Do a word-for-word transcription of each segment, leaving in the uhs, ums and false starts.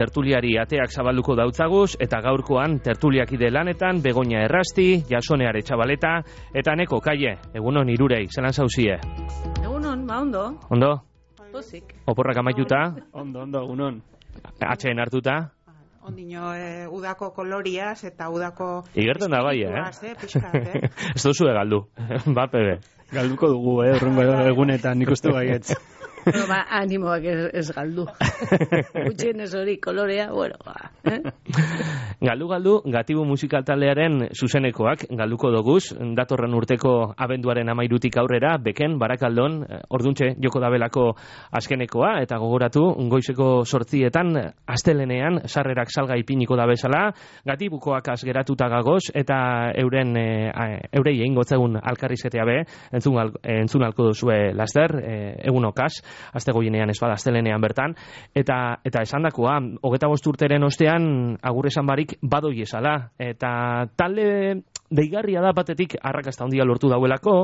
Tertuliari ateak zabalduko dautzaguz, eta gaurkoan tertuliakide lanetan Begoña Errasti, Jasone Aretxabaleta, eta Neko Kaie. Egunon irurei, zelan zauzie? Egunon, ba ondo. Ondo? Pozik. Oporrak amaituta? Ondo, ondo, egunon. Atxeen hartuta? Ondino, eh, udako koloriaz eta udako... Igerten da bai, eh? eh? Piskat, eh? Ez duzu galdu, ba, pebe. Galduko dugu, eh, urrungo egunetan, nik uste baietz. Bueno, ba, animoak ez, ez galdu. Gutxien ez hori kolorea, bueno, ba. Eh? Galdu, galdu, Gatibu musikal taldearen zuzenekoak galduko doguz, datorren urteko abenduaren amairutik aurrera, Beken, Barakaldon, orduntxe joko dabelako azkenekoa, eta gogoratu, goizeko sortzietan, astelenean, sarrerak salga ipiniko da bezala, Gatibukoak azgeratuta gagoz, eta euren, e, eurei egin gotzegun alkarrizketea be, entzun, al, entzun alko duzue laster, e, egunokaz, azte goienean ez bada, astelenean bertan, eta eta esandakoa, hogeta bost urteren ostean, agur esan barik badoi esala, eta talde deigarria da batetik arrakasta handia lortu dauelako,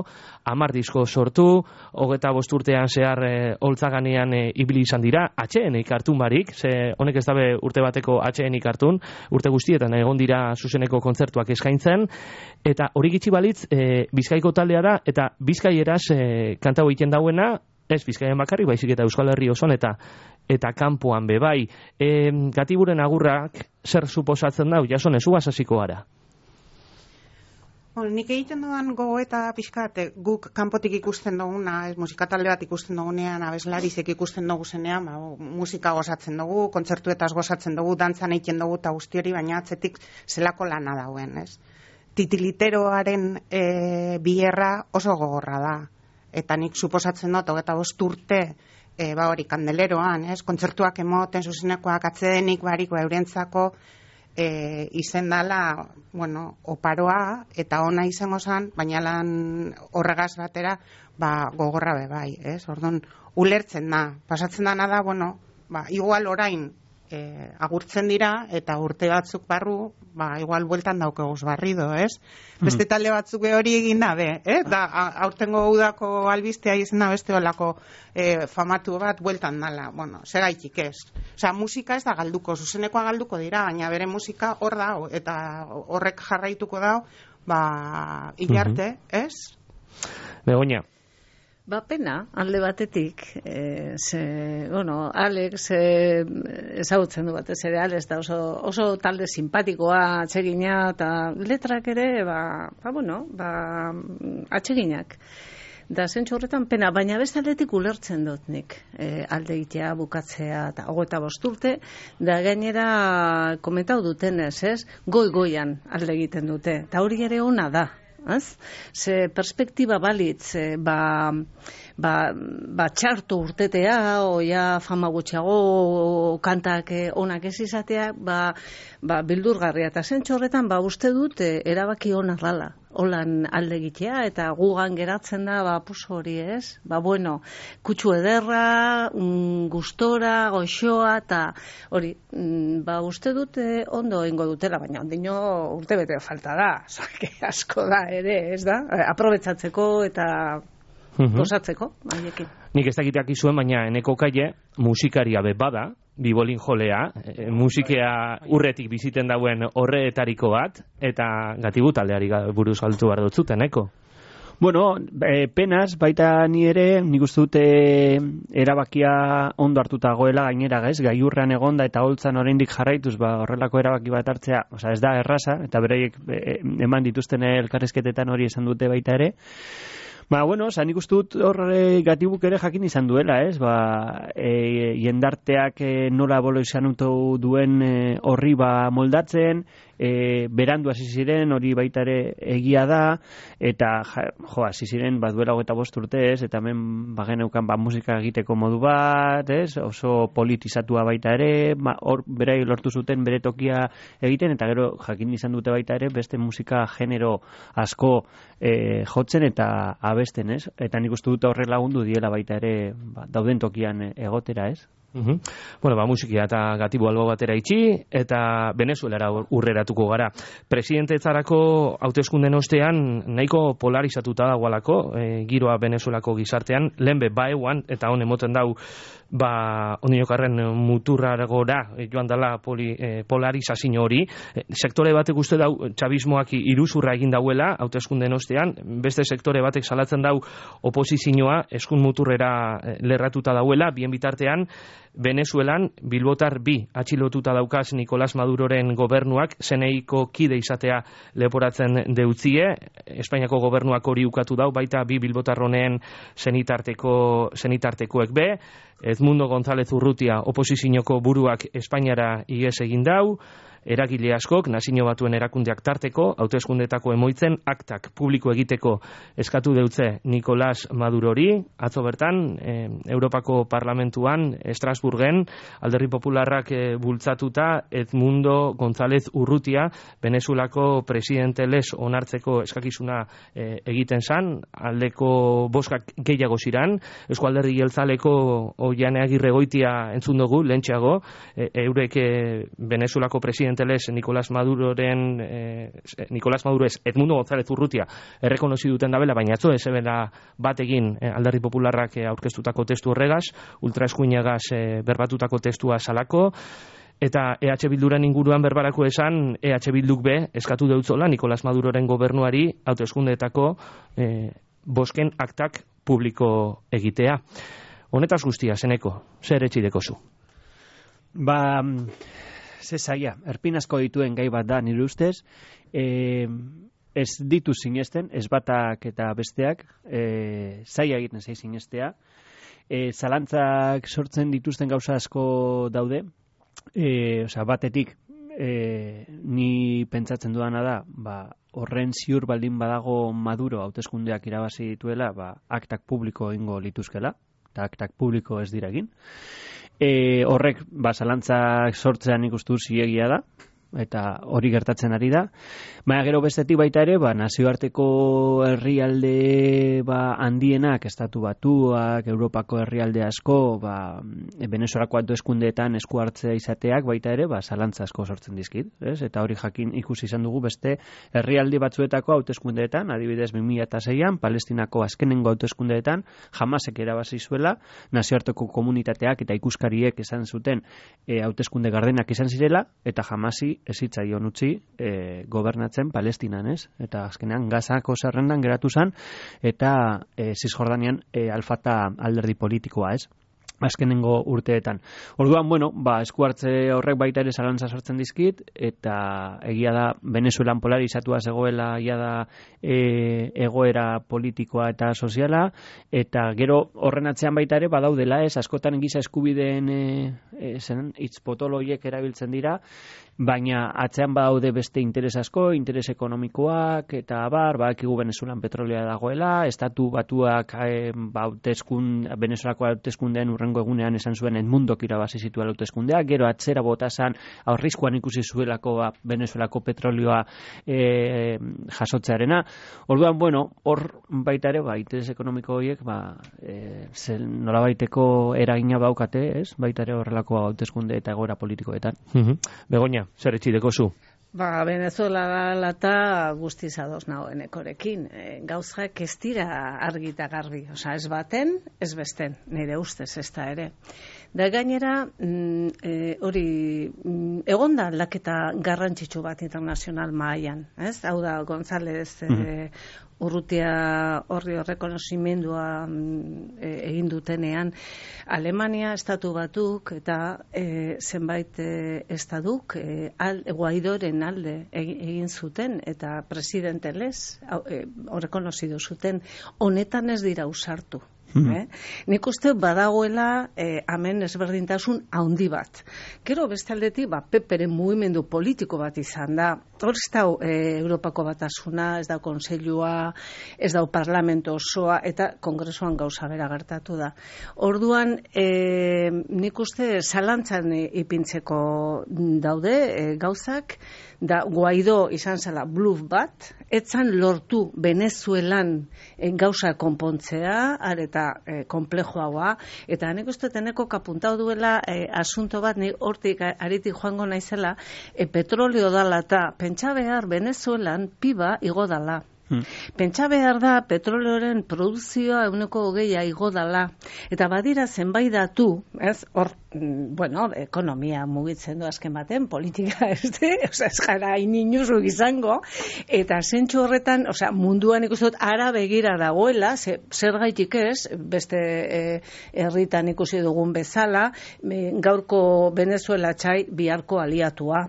hamar disko sortu, hogeta bost urtean zehar e, holtzaganean e, ibili izan dira, atxeenik hartun barik, ze honek ez dabe urte bateko atxeenik hartun, urte guztietan egon dira zuzeneko kontzertuak eskaintzen, eta hori gitxi balitz, e, Bizkaiko taldea da, eta Bizkaieraz e, kantau egiten dauena, ez Bizkaian bakarrik, baizik eta Euskal Herri oson eta eta kanpoan be bai. E, Gatiburen agurrak zer suposatzen dau, Jasone, zu hasiko gara? Bueno, nik egiten dudan gogo eta pixkat, guk kanpotik ikusten duguna, ez musika talde bat ikusten dugunean, abeslarizek ikusten dugu zenean, ba, musika gozatzen dugu, kontzertuetaz gozatzen dugu, dantzan egiten dugu eta guzti hori, baina atzetik zelako lana dauen, ez? Titiliteroaren e, bierra oso gogorra da. Eta nik suposatzen dut, hogeta bost urte, e, ba hori, kandeleroan, ez? Kontzertuak emoten, zuzenekoak atzedenik barik, ba, eurentzako e, izen dala, bueno, oparoa, eta ona izango zan, baina lan horregaz batera, ba, gogorra be bai, ez? Orduan, ulertzen da, pasatzen dana da, bueno, ba, igual orain, E, agurtzen dira, eta urte batzuk barru, ba, igual bueltan daukeguz barrido, ez? Beste talde batzuk hori egin da, be, eh? Da, aurtengo udako albistea izan da beste olako e, famatu bat bueltan dala, bueno, segaitik ez. Osea, musika ez da galduko, zuzenekoa galduko dira, baina bere musika hor da, eta horrek jarraituko da, ba, ilarte, ez? Begoña. Ba, pena, alde batetik, e, ze, bueno, Alex e, ezagutzen du batez ere, Alex da oso, oso talde simpatikoa, atsegina, eta letrak ere, ba, ba bueno, ba, atseginak. Da, zentsu horretan pena, baina beste aldetik ulertzen dut nik, e, alde egitea, bukatzea, eta hogeta bost urte, da gainera komentau dutenez, ez, goi-goian alde egiten dute, eta hori ere ona da. Ez? Ze perspektiba balitz, ba, ba, ba txarto urtetea, oia fama gutxiago, kantak onak ez izatea, ba, ba bildurgarria. Eta zentxo horretan, ba, uste dut, erabaki onak dala. Holan alde egitea, eta gugan geratzen da, ba, puso hori ez. Ba, bueno, kutsu ederra, mm, gustora, goxoa, eta hori, mm, ba, uste dut eh, ondo ingo dutela, baina ondino urte bete falta da. Zake asko da ere, ez da? Aprobetzatzeko eta gozatzeko, haiekin. Nik ez dakiteak izuen, baina Eneko Kaie musikaria be bada, bibolin jolea, e, musikea urretik biziten dauen horreetariko bat, eta Gatibu taldeari buruz galtu behar dutzuten, Eneko? Bueno, e, penaz, baita ni ere, nik uste dute erabakia ondo hartuta goela gainera, gaiz, gaiurrean egonda eta holtzan oraindik jarraituz, ba, horrelako erabaki bat hartzea, osea, ez da erraza, eta bereiek e, eman dituzten elkarrizketetan hori esan dute baita ere. Ba, bueno, oza, nik uste dut hor e, Gatibuk ere jakin izan duela, ez? Ba, e, jendarteak e, nola bolo izan duen e, horri ba moldatzen, e, berandu hasi ziren, hori baita ere egia da, eta ja, jo, hasi ziren, bat duela hogeta bost urte, ez? Eta hemen bageneukan ba, musika egiteko modu bat, ez? Oso politizatua baita ere, ba, hor berai lortu zuten bere tokia egiten, eta gero jakin izan dute baita ere, beste musika genero asko e, jotzen eta abesten, ez? Eta nik uste dut horre lagundu diela baita ere ba, dauden tokian egotera, ez? Uhum. Bueno, ba, musikia eta gatibo albo batera itxi, eta Venezuelara urreratuko gara. Presidentetzarako hauteskunden ostean nahiko polarizatuta dagoalako, e, giroa Venezuelako gizartean, lehenbe baeuan, eta hon emoten dau, ba, ondinokarren muturragora joan dela poli, e, polarizazio hori. E, sektore batek uste dau, txabismoak iruzurra egin dauela, hauteskunden ostean, beste sektore batek salatzen dau oposizioa eskun muturrera lerratuta dauela, bien bitartean, Venezuelan bilbotar bi atxilotuta daukaz Nicolás Maduroren gobernuak zeneiko kide izatea leporatzen deutzie. Espainiako gobernuak hori ukatu dau, baita bi bilbotar honen zenitarteko, zenitartekoek be. Edmundo González Urrutia oposizioko buruak Espainiara ihes egin dau. Eragile askok, Nazio Batuen erakundeak tarteko, hauteskundetako emoitzen aktak publiko egiteko eskatu deutze Nicolás Madurori. Atzo bertan, e, Europako Parlamentuan, Estrasburgen, Alderdi Popularrak e, bultzatuta Edmundo González Urrutia, Venezuelako presidente les onartzeko eskakizuna e, egiten zan, aldeko boskak gehiago ziran, Eusko Alderdi Jeltzaleko Oiane Agirregoitia entzun dugu, lentxeago, e, eurek e, Venezuelako presidente les Nicolás Maduroren eh, Nicolás Maduro ez Edmundo González Urrutia errekonozi duten dabela, baina atzo ez ebela bat egin eh, Alderdi Popularrak eh, aurkeztutako testu horregaz, ultraeskuinagaz eh, berbatutako testua salako, eta E H Bilduren inguruan berbarako esan, E H Bilduk be eskatu deutzola Nicolás Maduroren gobernuari hauteskundeetako eh, bosken aktak publiko egitea. Honetaz guztia, zeneko, zer etxideko zu? Ba, ze zaila, erpinazko dituen gai bat da nire ustez, e, ez ditu sinesten, ez batak eta besteak, e, zaila egiten zei sinestea, e, zalantzak sortzen dituzten gauza asko daude, e, osea, batetik, e, ni pentsatzen duana da, ba, horren ziur baldin badago Maduro hauteskundeak irabazi dituela, ba, aktak publiko egingo lituzkela, eta aktak publiko ez dira egin. E, horrek, ba, zalantzak sortzean ikustu ziegia da, eta hori gertatzen ari da. Baina gero bestetik baita ere, ba, nazioarteko herrialde ba, handienak, estatu batuak, Europako herrialde asko, ba, Venezuelako hauteskundeetan esku hartzea izateak baita ere, ba, zalantza asko sortzen dizkit. Ez? Eta hori jakin ikusi izan dugu beste herrialde batzuetako hauteskundeetan, adibidez bi mila seian, Palestinako azkenengo hauteskundeetan, Hamasek erabazi zuela, nazioarteko komunitateak eta ikuskariek esan zuten e, hauteskunde gardenak izan zirela, eta Hamasi ez zitzaion utzi e, gobernatzen Palestinan, ez? Eta azkenean Gazako zerrendan geratu zen, eta e, Cisjordanian e, Al-Fatah alderdi politikoa, ez? Azkenengo urteetan. Orduan, bueno, ba, esku hartze horrek baita ere zalantza sortzen dizkit, eta egia da Venezuelan polarizatua zegoela, egia da e, egoera politikoa eta soziala, eta gero horren atzean baita ere badaudela, ez, askotan giza eskubideen e, e, zen, hitz potoloiek erabiltzen dira, baina atzean badaude beste interes asko, interes ekonomikoak, eta abar, badakigu Venezuelan petrolea dagoela, estatu batuak e, ba, hauteskun, Venezuelako hauteskundeen urrengo egunean esan zuen Edmundok irabazi zituela hauteskundeak, gero atzera botazan aurrizkoan ikusi zuelako ba, Venezuelako petrolioa e, jasotzearena. Orduan, bueno, hor baita ere, ba, interes ekonomiko horiek, ba, e, nolabaiteko eragina baukate, ez? Baita ere horrelako hauteskunde eta egoera politikoetan. Mm-hmm. Begoña, zer etxideko zu? Ba, Venezuela dela eta guztiz ados nagoen ekorekin. E, gauzak ez dira argi eta garbi. Osa, ez baten, ez besten, nire ustez ez da ere. Da gainera, mm, e, hori, mm, egonda aldaketa garrantzitsu bat internazional mahaian. Ez? Hau da, González e, Urrutia horri horrekonozimendua e, egin dutenean, Alemania, estatu batuk eta e, zenbait e, estaduk e, al, Guaidoren alde egin zuten eta presidente les e, horrekonozidu zuten, honetan ez dira usartu. Eh? Nik uste badagoela eh, hemen ezberdintasun handi bat. Gero beste aldetik, ba, Peperen mugimendu politiko bat izan da, hor ez dau e, Europako batasuna, ez dau konseilua, ez dau parlamento osoa, eta kongresuan gauza bera gertatu da. Orduan, e, nik uste zalantzan ipintzeko daude e, gauzak, da Guaidó izan zela bluff bat, etzan lortu Venezuelan e, gauza konpontzea, areta e, komplejoagoa, eta nik uste teneko kapuntau duela e, asunto bat, nik hortik aritik joango naizela, e, petroleo dala eta pentsa behar Venezuelan piba igo dala. Hmm. Pentsa behar da petroleoren produzioa euneko hogeia igo dala. Eta badira zenbait datu, ez, hor, bueno, ekonomia mugitzen du azken baten, politika ez de, oza, ez gara ininuzuk izango, eta zentsu horretan, oza, munduan ikusot ara begira dagoela, ze, zer gaitik ez, beste e, herritan ikusi dugun bezala, e, gaurko Venezuela txai biharko aliatua.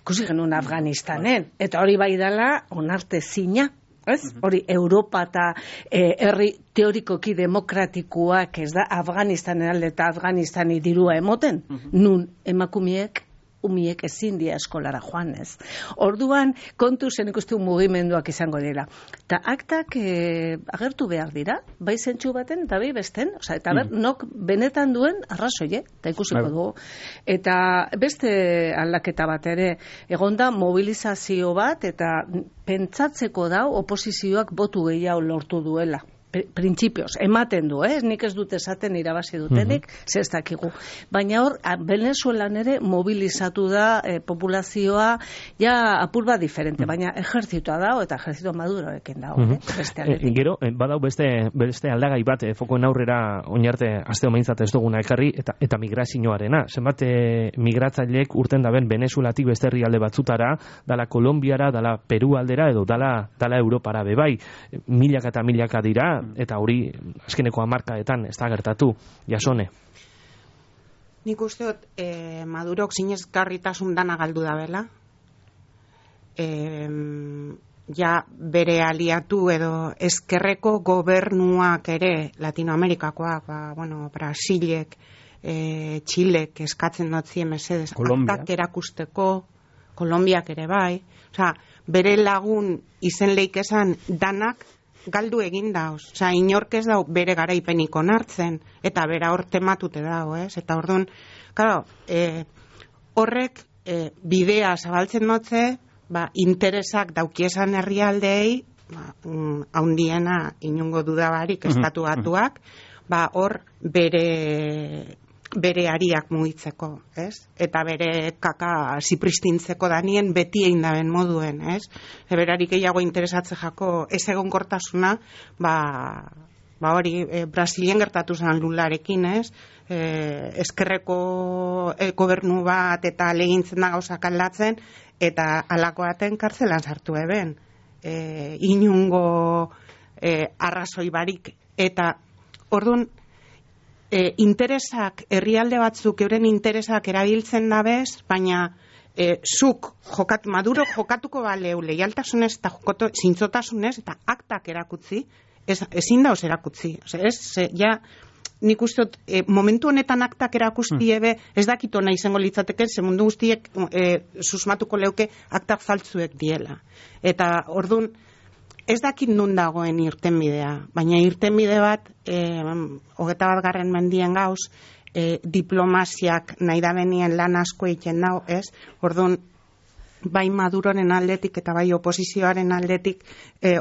Ikusi genuen Afganistanen, eta hori bai dela onarte zina. Ez? Hori Europa eta eh, herri teorikoki demokratikoak ez da Afganistanen alde eta Afganistani dirua emoten, nun emakumiek umiek ezin dia eskolara joan, ez. Orduan, kontu zen ikustu mugimenduak izango dira. Ta aktak e, agertu behar dira, bai zentsu baten eta bai besten, oza, eta ber, nok benetan duen arrazoie, eta ikusiko dugu. Eta beste aldaketa bat ere, egonda mobilizazio bat, eta pentsatzeko dau oposizioak botu gehiago lortu duela. Printzipioz, ematen du, eh? Nik ez dut esaten irabazi dutenik, mm-hmm. Zer ez dakigu. Baina hor, Venezuelan ere mobilizatu da eh, populazioa ja apur bat diferente, baina ejertzitoa dago eta ejertzito maduroekin dago. Mm-hmm. eh? Beste e, gero, badau beste, beste aldagai bat, eh, fokoen aurrera oinarte azte omaintzat ez duguna ekarri, eta, eta migrazioarena. Zenbat eh, migratzaileek urten daben Venezuelatik beste herrialde batzutara, dala Kolombiara, dala Peru aldera, edo dala, dala Europara bebai. Milaka eta milaka dira, eta hori azkeneko hamarkadetan ez da gertatu, Jasone. Nik uste dut eh, Madurok sinesgarritasun dana galdu da bela. Eh, ja bere aliatu edo ezkerreko gobernuak ere Latinoamerikakoak, ba, bueno, Brasilek, eh, Txilek eskatzen dotzien mesedez aktak erakusteko, Kolombiak ere bai, osea, bere lagun izen leik esan danak galdu egin dauz. Osa, inork ez dau bere garaipenik onartzen, eta bera hor tematute dau, ez? Eta orduan, claro, e, horrek e, bidea zabaltzen dutze, ba, interesak daukiesan herrialdeei, ba, um, haundiena inungo dudabarik estatu batuak, ba, hor bere bere ariak mugitzeko, ez? Eta bere kaka zipristintzeko danien beti egin daben moduen, ez? Eberarik gehiago interesatze jako ez egonkortasuna, ba, ba hori, e, Brasilien gertatu zen Lularekin, ez? E, eskerreko e, gobernu bat eta legintzen da gauzak aldatzen, eta alako baten kartzelan sartu eben. E, inungo e, arrazoi barik, eta orduan, E, interesak, herrialde batzuk euren interesak erabiltzen dabez, baina e, zuk jokat, Maduro jokatuko baleu leialtasunez eta jokoto, zintzotasunez eta aktak erakutzi, ez, ezin dauz erakutzi. Ose, ez, ze, ja, nik uste dut, e, momentu honetan aktak erakusti ebe, ez dakito nahi izango litzateke, ze mundu guztiek e, susmatuko leuke aktak faltzuek diela. Eta orduan, ez dakit nun dagoen irtenbidea, baina irtenbide bat, eh, hogeta bat garren mendien gauz, eh, diplomaziak nahi da benien lan asko egiten dau, ez? Orduan, bai Maduroren aldetik eta bai oposizioaren aldetik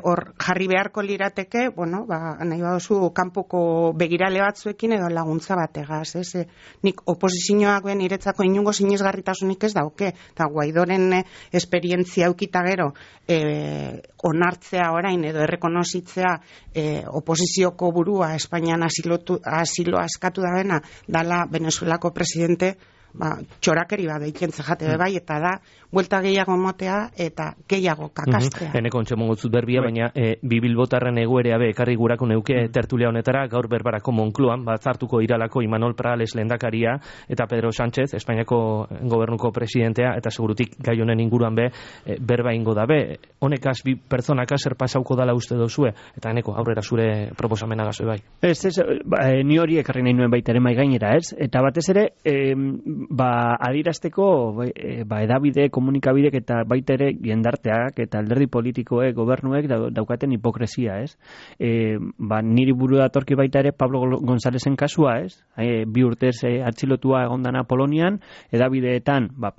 hor eh, jarri beharko lirateke, bueno, ba, nahi baduzu kanpoko begirale batzuekin edo laguntza bategaz, ez? E, nik oposizioak ben iretzako inungo sinesgarritasunik ez dauke, eta Guaidoren eh, esperientzia eukita gero eh, onartzea orain edo errekonozitzea eh, oposizioko burua Espainian asilotu, asiloa eskatu da bena, dala Venezuelako presidente, ba, txorakeri bat eiken zehate mm. bai, eta da, buelta gehiago motea eta gehiago kakastea. Mm-hmm. Eneko ontsemongotzut berbia, baina e, bibilbotarren egoerea be, ekarri gurako neuke mm. tertulia honetara, gaur berbarako Monkloan, batzartuko iralako Imanol Prales lehendakaria, eta Pedro Sánchez, Espainiako gobernuko presidentea, eta segurutik gai honen inguruan be, e, berba ingo da be, honekaz bi pertsonaka zer pasauko dala uste dozue, eta eneko aurrera zure proposamenagazue bai. Ez, ez, ba, ni hori ekarri nahi nuen baita ere mai gainera, ez? Eta batez ere, e, ba, adirazteko ba, edabide, komunikabidek eta baita ere jendarteak eta alderdi politikoek, gobernuek daukaten hipokresia, ez? E, ba, niri buru datorki baita ere Pablo Gonzalezen kasua, ez? E, bi urtez e, atxilotua egondana Polonian, edabideetan, ba,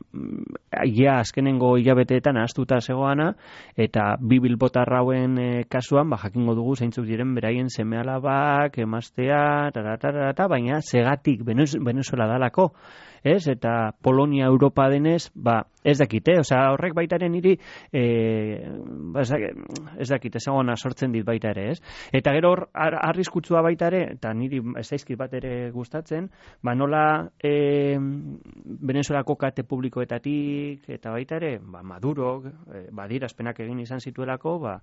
ia azkenengo hilabeteetan ahaztuta zegoana, eta bi bilbotar hauen e, kasuan, ba, jakingo dugu zeintzuk diren beraien seme-alabak, emaztea, taratarata, baina segatik Venezuela dalako, ez? Eta Polonia Europa denez, ba, ez dakite, osea, horrek baita ere niri e, ba, ez dakite, ezagona sortzen dit baita ere, ez? Eta gero hor, arriskutsua baita ere, eta niri ez zaizkit bat ere gustatzen, ba, nola e, Venezuelako kate publikoetatik, eta baita ere, ba, Maduro, e, badirazpenak egin izan zituelako, ba,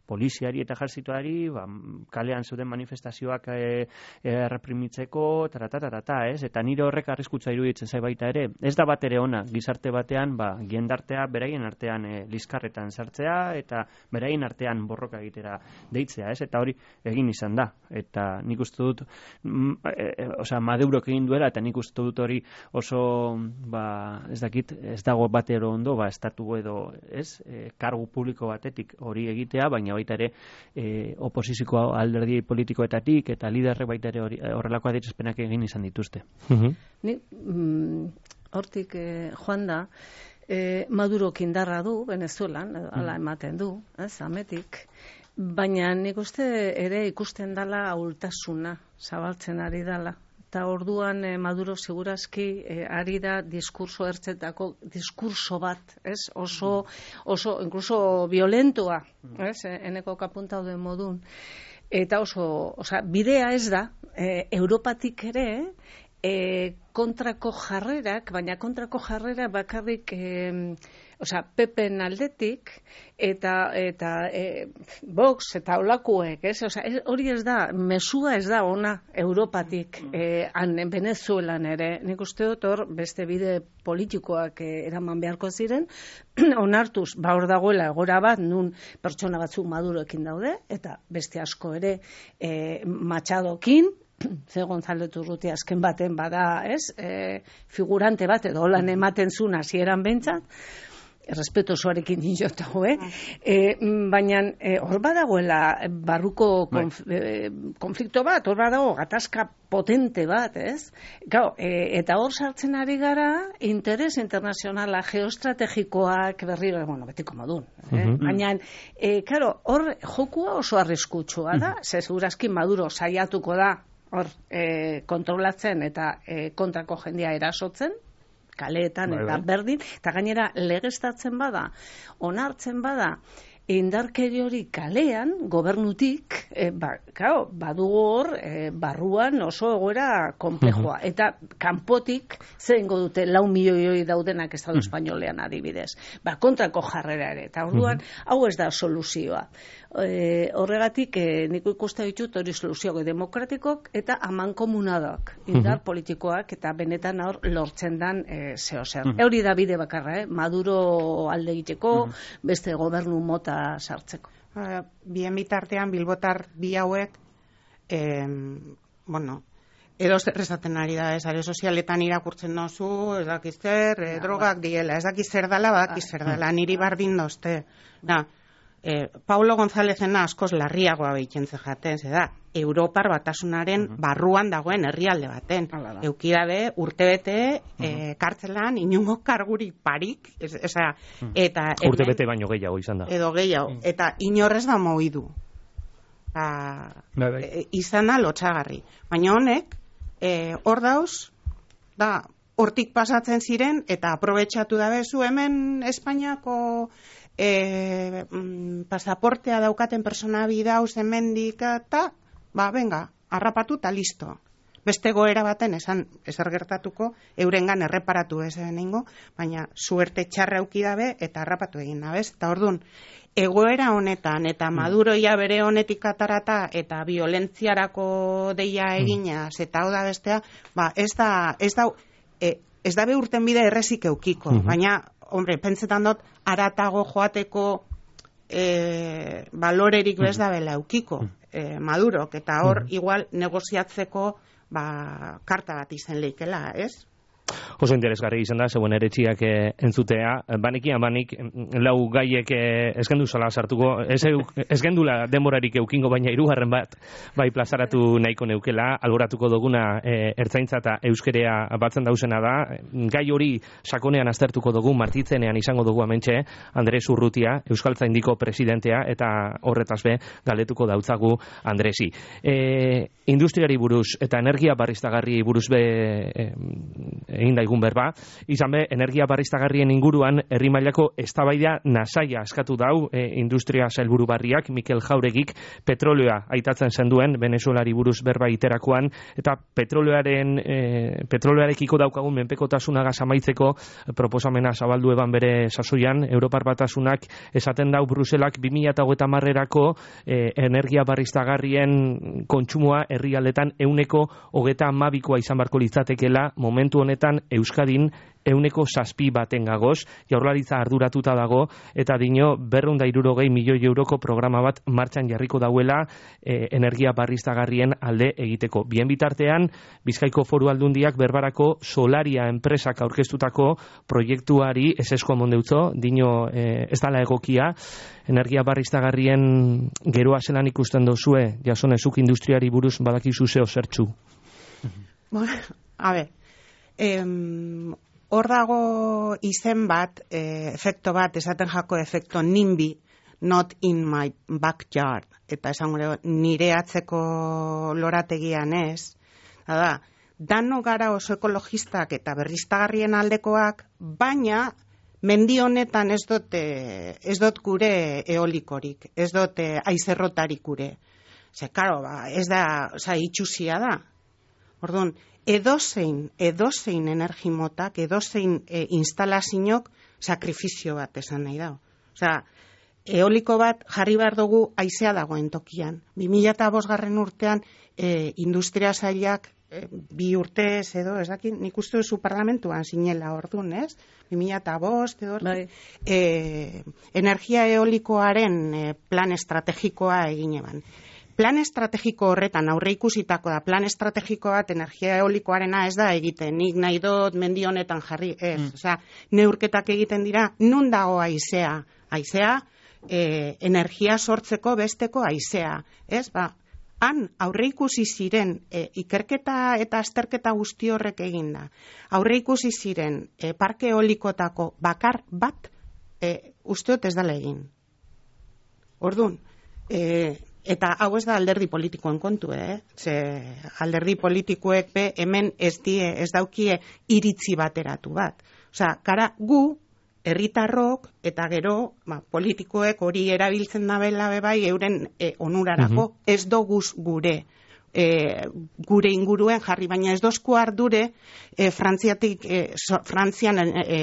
poliziari eta jartzituari, ba, kalean zuden manifestazioak e, e, reprimitzeko, taratatata, ez? Eta nire horrek arriskutza iruditzen zai baita ere. Ez da bat ere ona, gizarte batean, ba, jendartea beraien artean e, liskarretan sartzea, eta beraien artean borroka egitera deitzea, ez? Eta hori egin izan da. Eta nik uste dut, mm, e, e, osea, Madurok egin duela, eta nik uste dut hori oso, ba, ez dakit, ez dago batero ondo, ba, estatu edo, ez? E, kargu publiko batetik hori egitea, baina baita ere e, oposiziko alderdi politikoetatik eta liderrek baita ere hori, horrelako adierazpenak egin izan dituzte. Uh-huh. Ni, mm, hortik eh, joan da, eh, Madurok indarra du Venezuelan, hala ematen du, ez, ametik, baina nik uste ere ikusten dala ahultasuna zabaltzen ari dala. Eta orduan eh, Maduro segurazki eh, ari da diskurso ertzetako diskurso bat, ez? Oso, oso, incluso violentoa, ez? Eneko kapuntau den modun. Eta oso, osea, bidea ez da, eh, Europatik ere, eh, kontrako jarrerak, baina kontrako jarrera bakarrik, eh, osea, Pepen aldetik, eta, eta e, Vox, eta olakuek, ez? Osea, hori ez da, mesua ez da ona Europatik, eh, han Venezuelan ere. Nik uste dut hor, beste bide politikoak eh, eraman beharko ziren, onartuz, ba hor dagoela egora bat, nun pertsona batzuk Maduroekin daude, eta beste asko ere eh, Machadokin, ze González Urrutia azken baten bada, ez? E, figurante bat, edo holan ematen zuen hasieran behintzat, respeto osoarekin dinotago, eh? E, baina hor e, badagoela barruko konf, e, konflikto bat, hor badago gatazka potente bat, ez? Gau, e, eta hor sartzen ari gara interes internazionala, geostrategikoak berriro, bueno, betiko modun. Eh? Uh-huh. Baina, e, karo, hor jokua oso arriskutsua da, uh-huh. ze segurazki Maduro saiatuko da hor e, kontrolatzen eta e, kontrako jendia erasotzen, kaleetan eta berdin, eta gainera legeztatzen bada, onartzen bada, indarkeri hori kalean, gobernutik, e, ba, kao, badugu hor, e, barruan oso egoera konplexua. Uh-huh. Eta kanpotik, zer ingo dute lau milioi daudenak Estado uh-huh. espainolean adibidez. Ba, kontrako jarrera ere. Eta orduan, uh-huh. hau ez da soluzioa. E, horregatik, e, niko ikusta ditut hori soluzioak demokratikok eta aman komunadak, indar uh-huh. politikoak eta benetan hor lortzen dan e, zeo zer. Uh-huh. Hori da bide bakarra, eh? Maduro alde egiteko, uh-huh. beste gobernu mota sartzeko. Uh, bien bitartean bilbotar bi hauek eh, bueno, edo zer esaten ari da, ez, are sozialetan irakurtzen dozu, ez dakiz zer, eh, drogak diela, ez dakiz zer dala, badakiz zer dala, niri bardin dozte. Da, eh, Paulo Gonzálezena askoz larriagoa behitzen zejaten, ze da, Europar batasunaren uh-huh. barruan dagoen herrialde baten. Uh-huh. Eukidabe, urtebete, uh-huh. eh, kartzelan, inungo kargurik parik, ez, eza, uh-huh. eta... Urtebete baino gehiago izan da. Edo gehiago, uh-huh. eta inorrez da moidu. A, e, izan da lotxagarri. Baina honek, eh, hor dauz, da, hortik pasatzen ziren, eta aprobetxatu dabe zu hemen Espainiako... E, mm, pasaportea daukaten persona bidauz hemendik eta ba, venga, harrapatu eta listo. Beste goera baten esan ezer gertatuko, eurengan erreparatu ez eningo, baina suerte txarra auki dabe eta harrapatu egin dabez. Eta orduan, egoera honetan eta Maduroia bere honetik atarata eta violentziarako deia eginaz eta hau da bestea, ba, ez da, ez da, e, ez da be urten bide errezik eukiko, uh-huh. baina hombre, pentsetan dut, aratago joateko e, balorerik bez da bela eukiko, e, Madurok, eta hor, igual, negoziatzeko, ba, karta bat izen leikela, ez? Oso interesgarri izan da, zeuen eretxiak eh, entzutea. Banikian banik, lau gaiek eh, eskendu zala sartuko, ez, esgendula denborarik eukingo, baina hirugarren bat, bai plazaratu nahiko neukela, alboratuko duguna eh, ertzaintza eta euskerea batzen dauzena da. Gai hori sakonean aztertuko dugu, martitzenean izango dugu amentxe, Andres Urrutia, Euskaltzaindiko presidentea, eta horretaz be, galdetuko dautzagu Andresi. E, industriari buruz eta energia barriztagarri buruz be e, egin daigun berba, izan be, energia barriztagarrien inguruan herri mailako eztabaida nasaia askatu dau e, industria sailburu barriak, Mikel Jauregik petrolioa aitatzen zenduen Venezuelari buruz berba iterakoan, eta petrolioaren e, petrolioarekiko daukagun menpekotasunagaz amaitzeko proposamena zabaldu eban bere sasoian, Europar Batasunak esaten dau Bruselak bi mila hogeita hamarerako e, energia barriztagarrien kontsumoa herrialdetan ehuneko hogeita hamabikoa izan barko litzatekela, momentu honetan Euskadin ehuneko zazpi baten gagoz, Jaurlaritza arduratuta dago, eta dino berrehun eta hirurogei milioi euroko programa bat martxan jarriko dauela e, energia barriztagarrien alde egiteko. Bien bitartean, Bizkaiko Foru Aldundiak berbarako Solaria enpresak aurkeztutako proiektuari esesko mondeutzo, dino e, ez dala egokia, energia barriztagarrien geroa zelan ikusten dozue, jasonezuk industriari buruz badakizu zeo zertxu. Bueno, a ver, em, hor dago izen bat, e, efekto bat, esaten jako efekto NIMBY, not in my backyard, eta esan gure nire atzeko lorategian ez, da, dano gara oso ekologistak eta berriztagarrien aldekoak, baina mendi honetan ez dut, ez dut gure eolikorik, ez dut aizerrotarik gure. Ze, karo, ba, ez da, oza, itxusia da. Orduan, edozein, edozein energimotak, edozein e, instalazioak sakrifizio bat esan nahi da. Osea, eoliko bat jarri behar dugu haizea dagoen tokian. bi mila bosgarren urtean e, industria sailak e, bi urtez edo, ez dakit, nik uste duzu parlamentuan zinela orduan, ez? bi mila bost edo, bai. e, energia eolikoaren e, plan estrategikoa egin eban. Plan estrategiko horretan aurre ikusitako da, plan estrategiko bat energia eolikoarena ez da egiten, nik nahi dut mendi honetan jarri, ez, mm. Osea, neurketak egiten dira, nun dago haizea, haizea, e, energia sortzeko besteko haizea, ez, ba, han aurre ikusi ziren, e, ikerketa eta azterketa guzti horrek eginda, aurre ikusi ziren, e, parke eolikotako bakar bat, e, usteot ez dala egin. Orduan, e, eta hau ez da alderdi politikoen kontu, eh? Ze alderdi politikoek be hemen ez die, ez daukie iritzi bateratu bat. Osea, gara gu, herritarrok eta gero, ba, politikoek hori erabiltzen dabela be bai euren e, onurarako, uh-huh. Ez doguz gure e, gure inguruen jarri, baina ez dozku ardure e, Frantziatik, e, so, Frantzian e,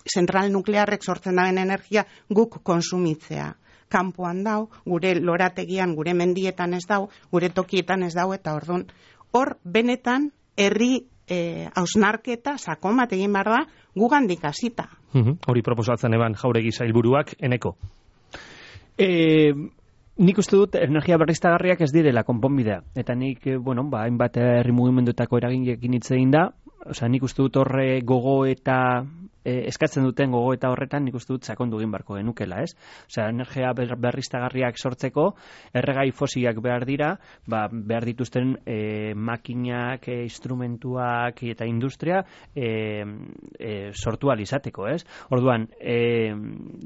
zentral nuklearrek sortzen daben energia guk konsumitzea. Kanpoan dau, gure lorategian, gure mendietan ez dau, gure tokietan ez dau, eta orduan, hor benetan herri e, hausnarketa sakon bat egin behar da, gugandik hasita. Uh-huh. Hori proposatzen eban Jauregi sailburuak, eneko? E, nik uste dut energia berriztagarriak ez direla konponbidea, eta nik, bueno, ba, hainbat herri mugimenduetako eraginekin hitz egin da, osea, nik uste dut horre gogo eta E, eskatzen duten gogo eta horretan nik uste dut sakondu egin barko genukela, ez? Osea, energia berriztagarriak sortzeko erregai fosilak behar dira, ba, behar dituzten e, makinak, e, instrumentuak eta industria e, e, sortu alizateko, ez? Orduan, e,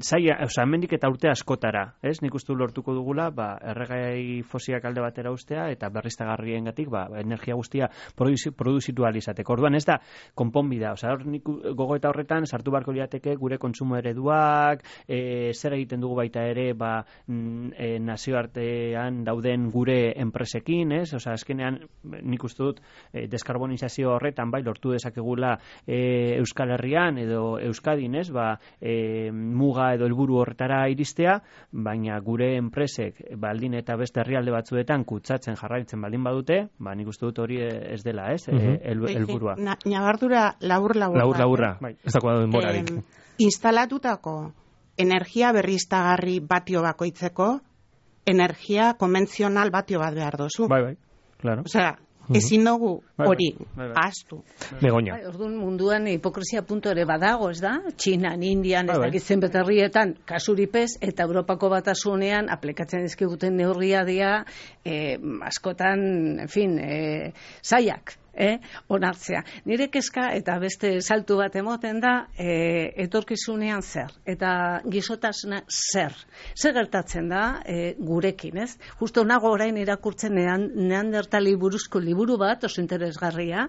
zaila, osea, hemendik eta urte askotara, ez? Nik uste dut lortuko dugula, ba, erregai fosilak alde batera ustea eta berriztagarriengatik, ba, energia guztia produzitu alizateko. Orduan, ez da konponbidea, osea, hor nik gogo eta horretan sartu barko liateke gure kontsumo ereduak, e, zer egiten dugu baita ere, ba, e, nazioartean dauden gure enpresekin, ez? Osea, azkenean nik uste dut e, deskarbonizazio horretan bai lortu dezakegula e, Euskal Herrian edo Euskadin, ez? Ba, e, muga edo helburu horretara iristea, baina gure enpresek baldin eta beste herrialde batzuetan kutsatzen jarraitzen baldin badute, ba, nik uste dut hori ez dela, ez? Uh-huh. e, helburua. Nabardura labur-labur. Labur-laburra. Bai. Ez dago denborarik. Eh, instalatutako energia berriztagarri batio bakoitzeko energia konbentzional batio bat behar dozu. Bai, bai, claro. Osea, ezin dugu hori ahaztu. Begoña. Bai, orduan munduan hipokresia puntu ere badago, ez da? Txinan, Indian, ez dakit zenbait herrietan kasuripez, eta Europako Batasunean aplikatzen dizkiguten neurria dira eh, askotan, en fin, eh, zaiak. Eh, onartzea. Nire kezka eta beste saltu bat emoten da eh, etorkizunean zer eta gizotasuna zer. Zer gertatzen da eh, gurekin, ez? Justo nago orain irakurtzen nean, neandertali buruzko liburu bat, oso interesgarria,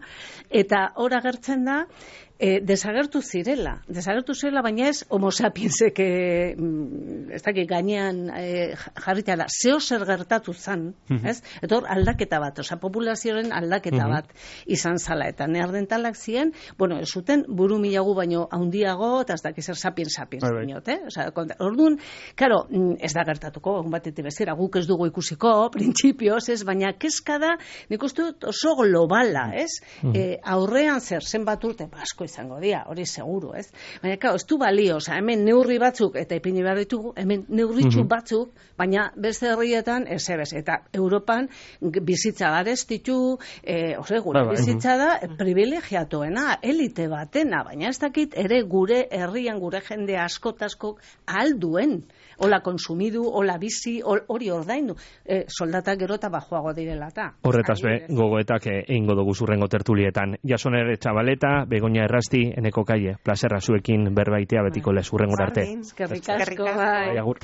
eta hor agertzen da E, desagertu zirela, desagertu zirela, baina ez homo sapiensek e, ez dakit gainean e, jarritela, zeo zer gertatu zan, ez? Eta hor aldaketa bat, oza, populazioaren aldaketa bat izan zala, eta neandertalak ziren, bueno, ez zuten buru milagu baino haundiago, eta ez dakit zer sapiens sapiens dinot, eh? Oza, orduan, karo, ez da gertatuko, egun batetik bezera, guk ez dugu ikusiko, printzipioz, ez, baina kezka da, nik uste dut oso globala, ez? E, aurrean zer, zenbat urte, asko izango dira, hori seguru, ez? Baina, kao, ez du balio, oza, hemen neurri batzuk, eta ipini behar ditugu, hemen neurritxu batzuk, baina beste herrietan, ez ebez, eta Europan bizitza garestitu, e, ose, gure bizitza da, privilegiatuena, elite batena, baina ez dakit ere gure herrian, gure jende askotaskok alduen, hola konsumidu, hola bizi, hori ordaindu, e, soldatak gero eta bajoago direla eta. Horretaz be, gogoetak egingo dugu zurrengo tertulietan. Jasoner Txabaleta, Begoña Errasti, Eneko Kaie, plazerra zuekin berbaitea betiko lez, urrengora arte. Eskerrik asko, bai. Agur.